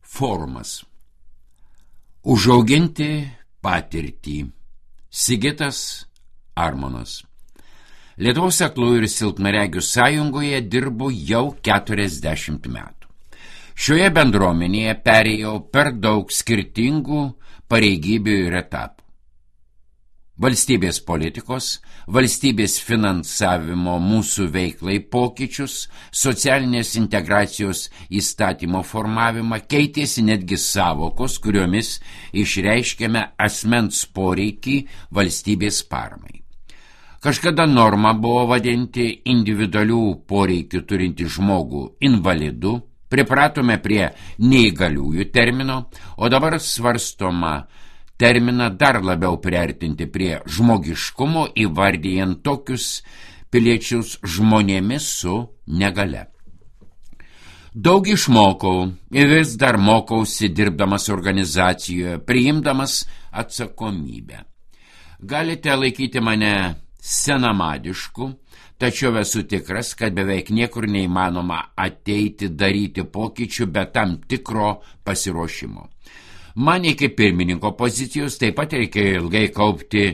Forumas. Užauginti patirtį. Sigitas Armonas. Lietuvos aklųjų ir silpnaregių sąjungoje dirbu jau 40 metų. Šioje bendruomenėje perėjau per daug skirtingų pareigybių ir etapų. Valstybės politikos, valstybės finansavimo mūsų veiklai pokyčius, socialinės integracijos įstatymo formavimą, keitėsi netgi savokos, kuriomis išreiškėme asmens poreikį valstybės paramai. Kažkada norma buvo vadinti individualių poreikių turintį žmogų invalidu, pripratome prie neįgaliųjų termino, o dabar svarstoma terminą dar labiau priartinti prie žmogiškumo, įvardyjant tokius piliečius žmonėmis su negale. Daug išmokau ir vis dar mokausi dirbdamas organizacijoje, priimdamas atsakomybę. Galite laikyti mane senamadišku, tačiau esu tikras, kad beveik niekur neįmanoma ateiti daryti pokyčių be tam tikro pasiruošimo. Man iki pirmininko pozicijos taip pat reikėjo ilgai kaupti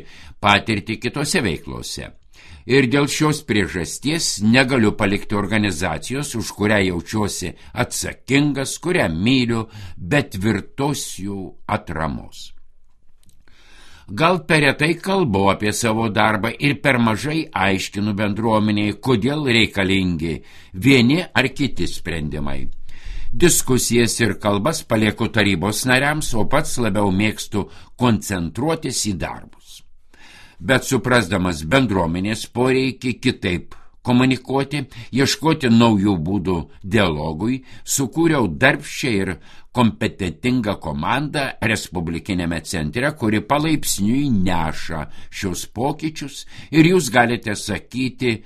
patirtį kitose veiklose. Ir dėl šios priežasties negaliu palikti organizacijos, už kurią jaučiuosi atsakingas, kurią myliu, bet tvirtos jų atramos. Gal per retai kalbu apie savo darbą ir per mažai aiškinu bendruomeniai, kodėl reikalingi vieni ar kiti sprendimai. Diskusijas ir kalbas palieku tarybos nariams, o pats labiau mėgstu koncentruotis į darbus. Bet suprasdamas bendruomenės poreikį kitaip komunikuoti, ieškoti naujų būdų dialogui, sukūriau darbščią ir kompetentingą komandą Respublikinėme centre, kuri palaipsniui neša šios pokyčius ir jūs galite sakyti,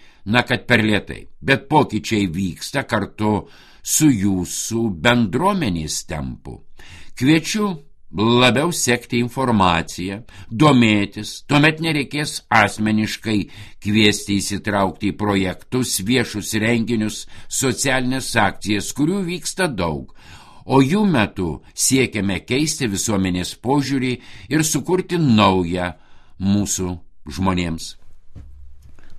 kad per lėtai, bet pokyčiai vyksta kartu su jūsų bendruomenės tempu. Kviečiu labiau sekti informaciją, domėtis, tuomet nereikės asmeniškai kviesti įsitraukti į projektus, viešus renginius, socialinės akcijas, kurių vyksta daug, o jų metu siekiame keisti visuomenės požiūrį ir sukurti naują mūsų žmonėms.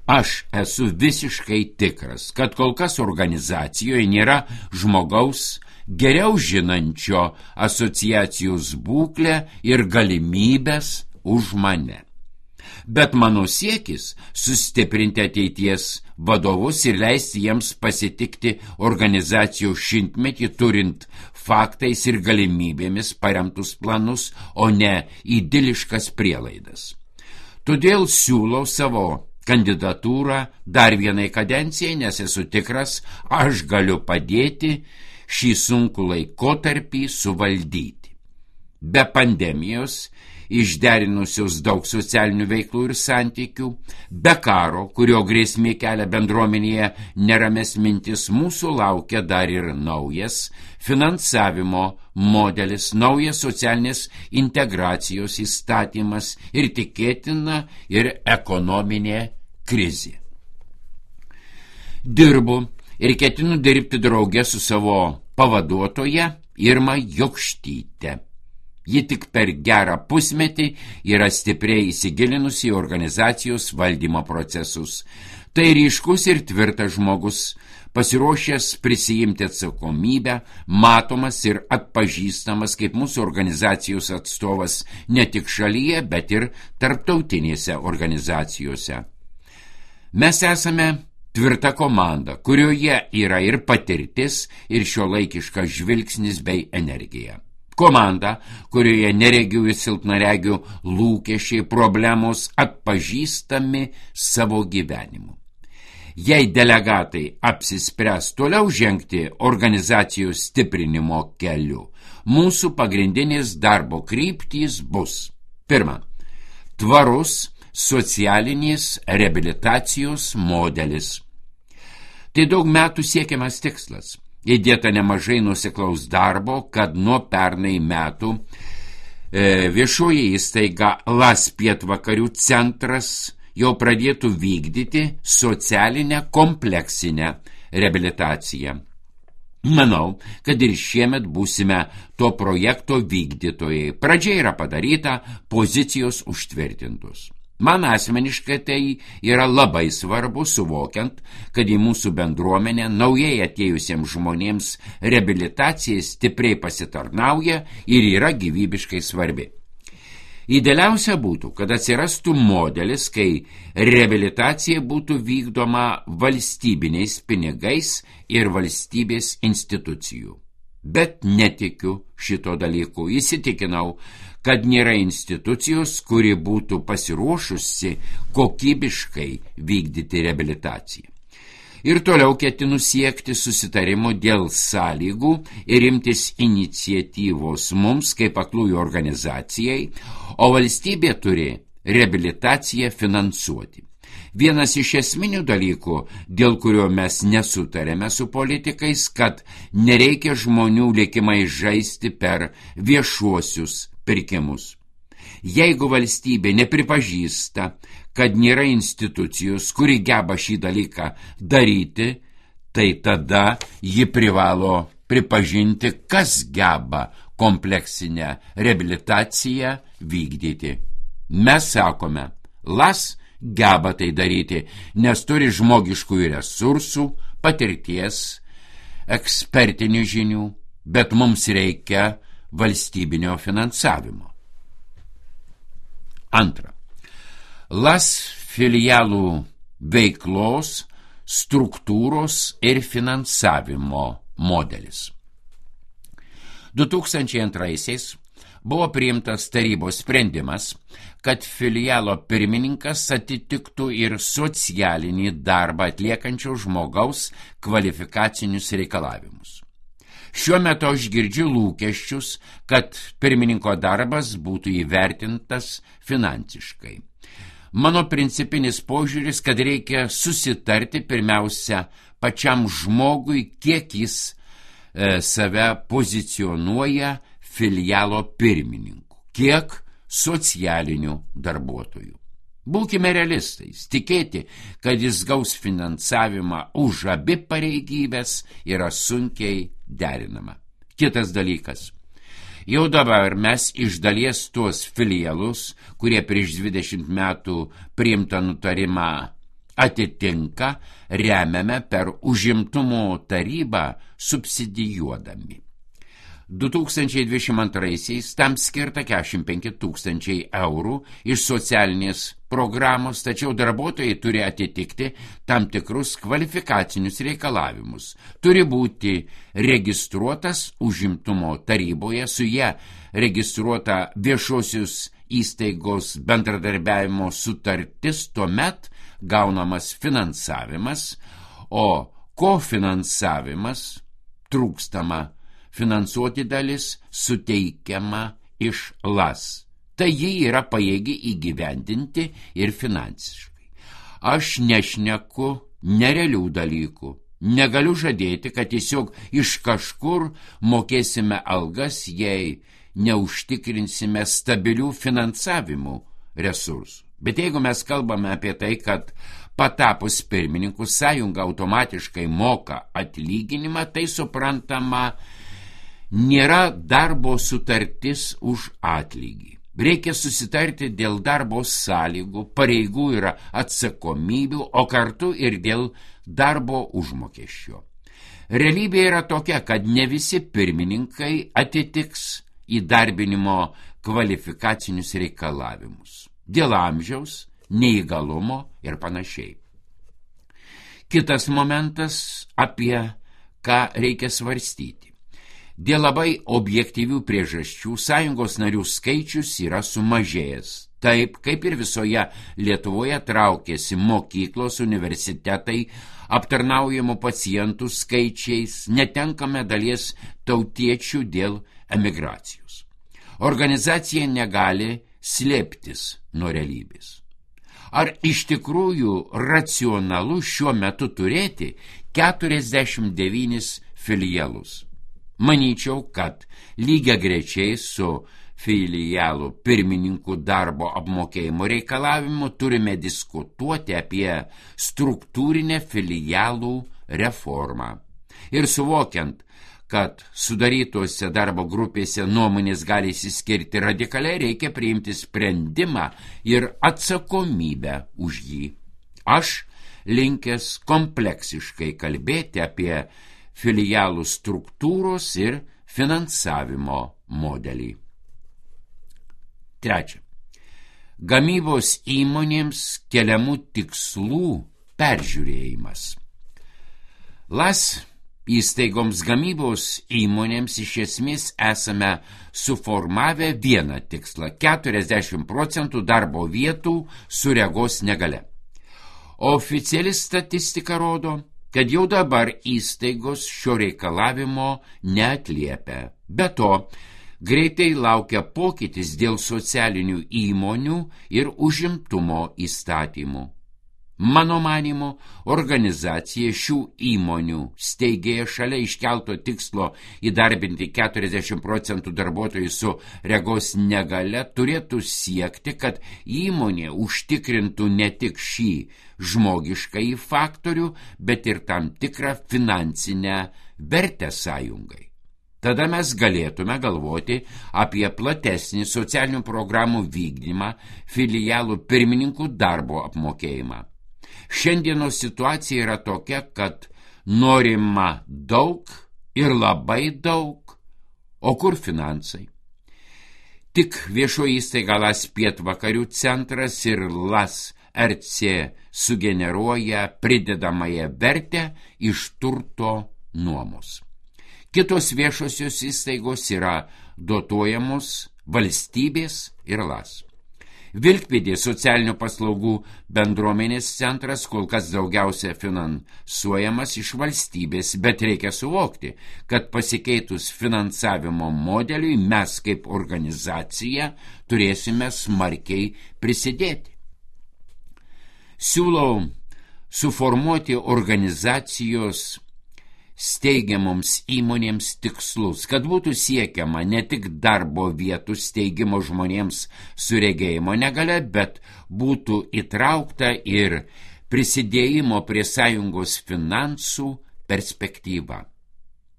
Aš esu visiškai tikras, kad kol kas organizacijoje nėra žmogaus geriau žinančio asociacijos būklę ir galimybės už mane. Bet mano siekis sustiprinti ateities vadovus ir leisti jiems pasitikti organizacijos šimtmetį turint faktais ir galimybėmis paremtus planus, o ne idiliškas prielaidas. Todėl siūlau savo kandidatūrą dar vienai kadencijai, nes esu tikras, aš galiu padėti šį sunkų laikotarpį suvaldyti. Be pandemijos, išderinusios daug socialinių veiklų ir santykių, be karo, kurio grėsmė kelia bendruomenėje nerames mintis, mūsų laukia dar ir naujas finansavimo modelis, naujas socialinės integracijos įstatymas ir tikėtina ir ekonominė krizė. Dirbu ir ketinu dirbti drauge su savo pavaduotoja Irma Jokštyte. Ji tik per gerą pusmetį yra stipriai įsigilinusi į organizacijos valdymo procesus. Tai ryškus ir tvirtas žmogus, pasiruošęs prisijimti atsakomybę, matomas ir atpažįstamas kaip mūsų organizacijos atstovas ne tik šalyje, bet ir tarptautinėse organizacijose. Mes esame tvirta komanda, kurioje yra ir patirtis, ir šiuolaikiškas žvilgsnis bei energija. Komanda, kurioje neregių ir silpnaregių lūkesčiai, problemos atpažįstami savo gyvenimu. Jei delegatai apsispręs toliau žengti organizacijos stiprinimo keliu, mūsų pagrindinės darbo kryptys bus: pirma, tvarus socialinės reabilitacijos modelis. Tai daug metų siekiamas tikslas. Įdėta nemažai nuoseklaus darbo, kad nuo pernai metų viešoji įstaiga LAS Pietvakarių centras jau pradėtų vykdyti socialinę kompleksinę reabilitaciją. Manau, kad ir šiemet būsime to projekto vykdytojai. Pradžia yra padaryta, pozicijos užtvirtintos. Man asmeniškai tai yra labai svarbu, suvokiant, kad į mūsų bendruomenę naujai atėjusiems žmonėms reabilitacija stipriai pasitarnauja ir yra gyvybiškai svarbi. Idealiausia būtų, kad atsirastų modelis, kai reabilitacija būtų vykdoma valstybiniais pinigais ir valstybės institucijų. Bet netikiu šito dalyku. Įsitikinau, kad nėra institucijos, kuri būtų pasiruošusi kokybiškai vykdyti reabilitaciją. Ir toliau ketinu siekti susitarimo dėl sąlygų ir imtis iniciatyvos mums kaip aklųjų organizacijai, o valstybė turi reabilitaciją finansuoti. Vienas iš esminių dalykų, dėl kurio mes nesutarėme su politikais, kad nereikia žmonių likimai žaisti per viešuosius pirkimus. Jeigu valstybė nepripažįsta, kad nėra institucijos, kuri geba šį dalyką daryti, tai tada ji privalo pripažinti, kas geba kompleksinę reabilitaciją vykdyti. Mes sakome, LAS geba tai daryti, nes turi žmogiškųjų resursų, patirties, ekspertinių žinių, bet mums reikia valstybinio finansavimo. Antra. LAS filialų veiklos, struktūros ir finansavimo modelis. 2002 buvo priimtas tarybos sprendimas, kad filialo pirmininkas atitiktų ir socialinį darbą atliekančio žmogaus kvalifikacinius reikalavimus. Šiuo metu aš girdžiu lūkesčius, kad pirmininko darbas būtų įvertintas finansiškai. Mano principinis požiūris, kad reikia susitarti pirmiausia pačiam žmogui, kiek jis save pozicionuoja filialo pirmininku, kiek socialinių darbuotojų. Būkime realistais, tikėti, kad jis gaus finansavimą už abi pareigybės yra sunkiai derinama. Kitas dalykas. Jau dabar mes iš dalies tuos filialus, kurie prieš 20 metų priimtą nutarimą atitinka, remiame per užimtumo tarybą subsidijuodami. 2022 tam skirta 45 000 eurų iš socialinės programos, tačiau darbuotojai turi atitikti tam tikrus kvalifikacinius reikalavimus. Turi būti registruotas užimtumo taryboje, su ja registruota viešosios įstaigos bendradarbiavimo sutartis, tuomet gaunamas finansavimas, o kofinansavimas trūkstama finansuoti dalis suteikiama iš LAS. Tai ji yra pajėgi įgyvendinti ir finansiškai. Aš nešneku nerealių dalykų. Negaliu žadėti, kad tiesiog iš kažkur mokėsime algas, jei neužtikrinsime stabilių finansavimų resursų. Bet jeigu mes kalbame apie tai, kad patapus pirmininku sąjunga automatiškai moka atlyginimą, tai suprantama, nėra darbo sutartis už atlygį. Reikia susitarti dėl darbo sąlygų, pareigų ir atsakomybių, o kartu ir dėl darbo užmokesčio. Realybė yra tokia, kad ne visi pirmininkai atitiks įdarbinimo kvalifikacinius reikalavimus. Dėl amžiaus, neįgalumo ir panašiai. Kitas momentas, apie ką reikia svarstyti. Dėl labai objektyvių priežasčių sąjungos narių skaičius yra sumažėjęs. Taip, kaip ir visoje Lietuvoje traukėsi mokyklos, universitetai, aptarnaujamų pacientų skaičiais, netenkame dalies tautiečių dėl emigracijos. Organizacija negali slėptis nuo realybės. Ar iš tikrųjų racionalu šiuo metu turėti 49 filialus? Manyčiau, kad lygiagrečiai su filialų pirmininkų darbo apmokėjimo reikalavimu turime diskutuoti apie struktūrinę filialų reformą. Ir suvokiant, kad sudarytose darbo grupėse nuomonės gali išsiskirti radikaliai, reikia priimti sprendimą ir atsakomybę už jį. Aš linkęs kompleksiškai kalbėti apie filialų struktūros ir finansavimo modelį. Trečia. Gamybos įmonėms keliamų tikslų peržiūrėjimas. LAS įstaigoms gamybos įmonėms iš esmės esame suformavę vieną tikslą – 40% darbo vietų su regos negalia. Oficiali statistika rodo, kad jau dabar įstaigos šio reikalavimo neatliepia. Be to, greitai laukia pokytis dėl socialinių įmonių ir užimtumo įstatymų. Mano manymu, organizacija šių įmonių steigėja šalia iškelto tikslo įdarbinti 40% darbuotojų su regos negalia turėtų siekti, kad įmonė užtikrintų ne tik šį žmogiškąjį faktorių, bet ir tam tikrą finansinę vertę sąjungai. Tada mes galėtume galvoti apie platesnį socialinių programų vykdymą, filialų pirmininkų darbo apmokėjimą. Šiandienos situacija yra tokia, kad norima daug ir labai daug, o kur finansai? Tik viešoji įstaiga LAS Pietvakarių centras ir LAS RC sugeneruoja pridedamąją vertę iš turto nuomos. Kitos viešosios įstaigos yra dotuojamos valstybės ir LAS. Vilkpėdė socialinių paslaugų bendruomenės centras kol kas daugiausia finansuojamas iš valstybės, bet reikia suvokti, kad pasikeitus finansavimo modeliui mes kaip organizacija turėsime smarkiai prisidėti. Siūlau suformuoti organizacijos steigiamoms įmonėms tikslus, kad būtų siekiama ne tik darbo vietų steigimo žmonėms su regėjimo negalia, bet būtų įtraukta ir prisidėjimo prie sąjungos finansų perspektyva.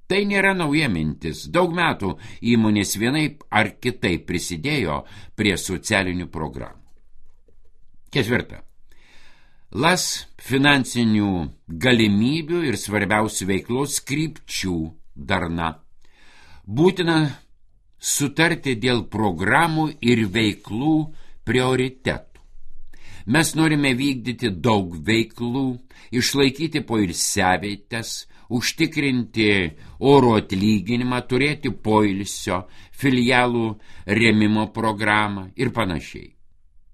Tai nėra nauja mintis. Daug metų įmonės vienaip ar kitaip prisidėjo prie socialinių programų. Ketvirta. LAS finansinių galimybių ir svarbiausių veiklos krypčių darna. Būtina sutarti dėl programų ir veiklų prioritetų. Mes norime vykdyti daug veiklų, išlaikyti poilsiavietes, užtikrinti oro atlyginimą, turėti poilsio, filialų rėmimo programą ir panašiai.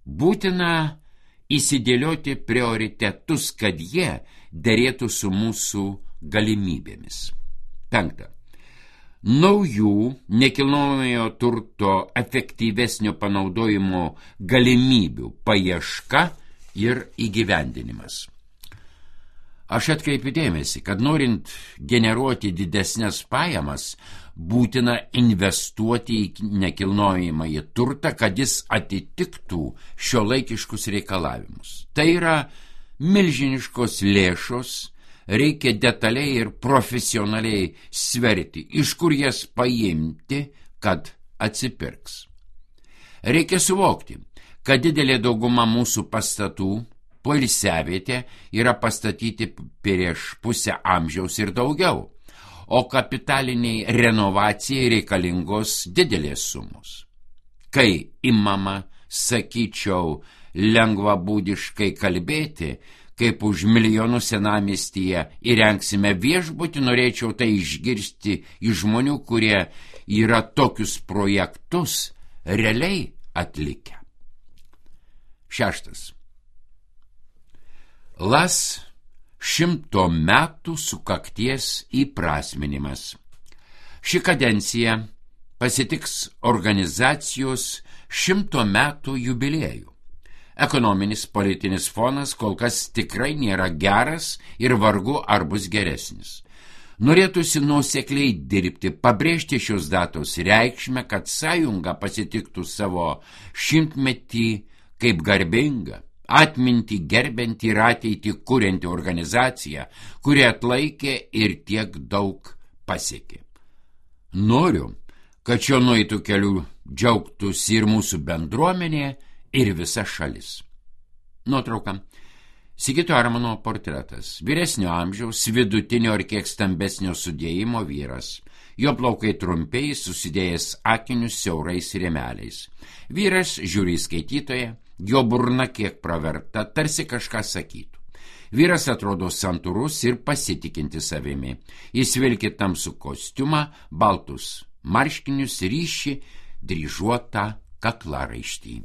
Būtina įsidėlioti prioritetus, kad jie derėtų su mūsų galimybėmis. 5. Naujų nekilnojamojo turto efektyvesnio panaudojimo galimybių paieška ir įgyvendinimas. Aš atkreipiu dėmesį, kad norint generuoti didesnės pajamas, būtina investuoti į nekilnojamąjį turtą, kad jis atitiktų šiuolaikiškus reikalavimus. Tai yra milžiniškos lėšos, reikia detaliai ir profesionaliai sverti, iš kur jas paimti, kad atsipirks. Reikia suvokti, kad didelė dauguma mūsų pastatų poilsiavietė yra pastatyti prieš pusę amžiaus ir daugiau, o kapitaliniai renovacijai reikalingos didelės sumos. Kai imama, sakyčiau, lengvabūdiškai kalbėti, kaip už milijonus senamiestyje įrengsime viešbutį, norėčiau tai išgirsti iš žmonių, kurie yra tokius projektus realiai atlikę. 6. LAS 100 metų sukakties įprasminimas. Ši kadencija pasitiks organizacijos 100 metų jubiliejų. Ekonominis politinis fonas kol kas tikrai nėra geras ir vargu ar bus geresnis. Norėtųsi nuosekliai dirbti, pabrėžti šios datos reikšmę, kad sąjunga pasitiktų savo 100-metį kaip garbinga, atmintį gerbianti ir ateitį kurianti organizacija, kuri atlaikė ir tiek daug pasiekė. Noriu, kad šio nueitų kelių džiaugtųsi ir mūsų bendruomenė, ir visa šalis. Nuotrauka. Sigito Armono portretas. Vyresnio amžiaus, vidutinio ir kiek stambesnio sudėjimo vyras. Jo plaukai trumpiai, susidėjęs akinius siaurais rėmeliais. Vyras žiūri į skaitytoją, jo burna kiek praverta, tarsi kažką sakytų. Vyras atrodo santūrus ir pasitikinti savimi. Jis vilki tamsų kostiumą, baltus marškinius, ryši dryžuotą kaklaraištį.